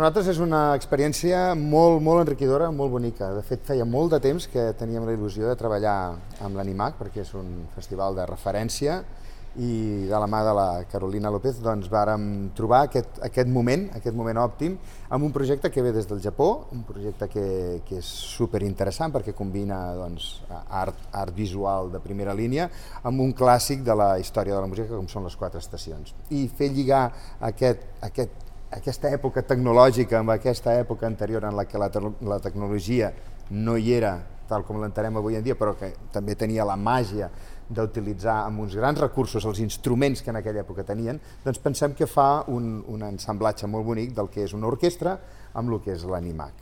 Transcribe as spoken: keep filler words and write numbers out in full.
nosaltres és una experiència molt, molt enriquidora, molt bonica. De fet, feia molt de temps que teníem la il·lusió de treballar amb l'Animac, perquè és un festival de referència, i de la mà de la Carolina López doncs vàrem trobar aquest, aquest moment, aquest moment òptim, amb un projecte que ve des del Japó, un projecte que, que és superinteressant perquè combina doncs, art, art visual de primera línia amb un clàssic de la història de la música com són les quatre estacions. I fer lligar aquest, aquest, aquesta època tecnològica amb aquesta època anterior en la que la, la tecnologia no hi era tal com l'entenem avui en dia, però que també tenia la màgia d'utilitzar amb uns grans recursos els instruments que en aquella època tenien, doncs pensem que fa un, un ensamblatge molt bonic del que és una orquestra amb el que és l'Animac.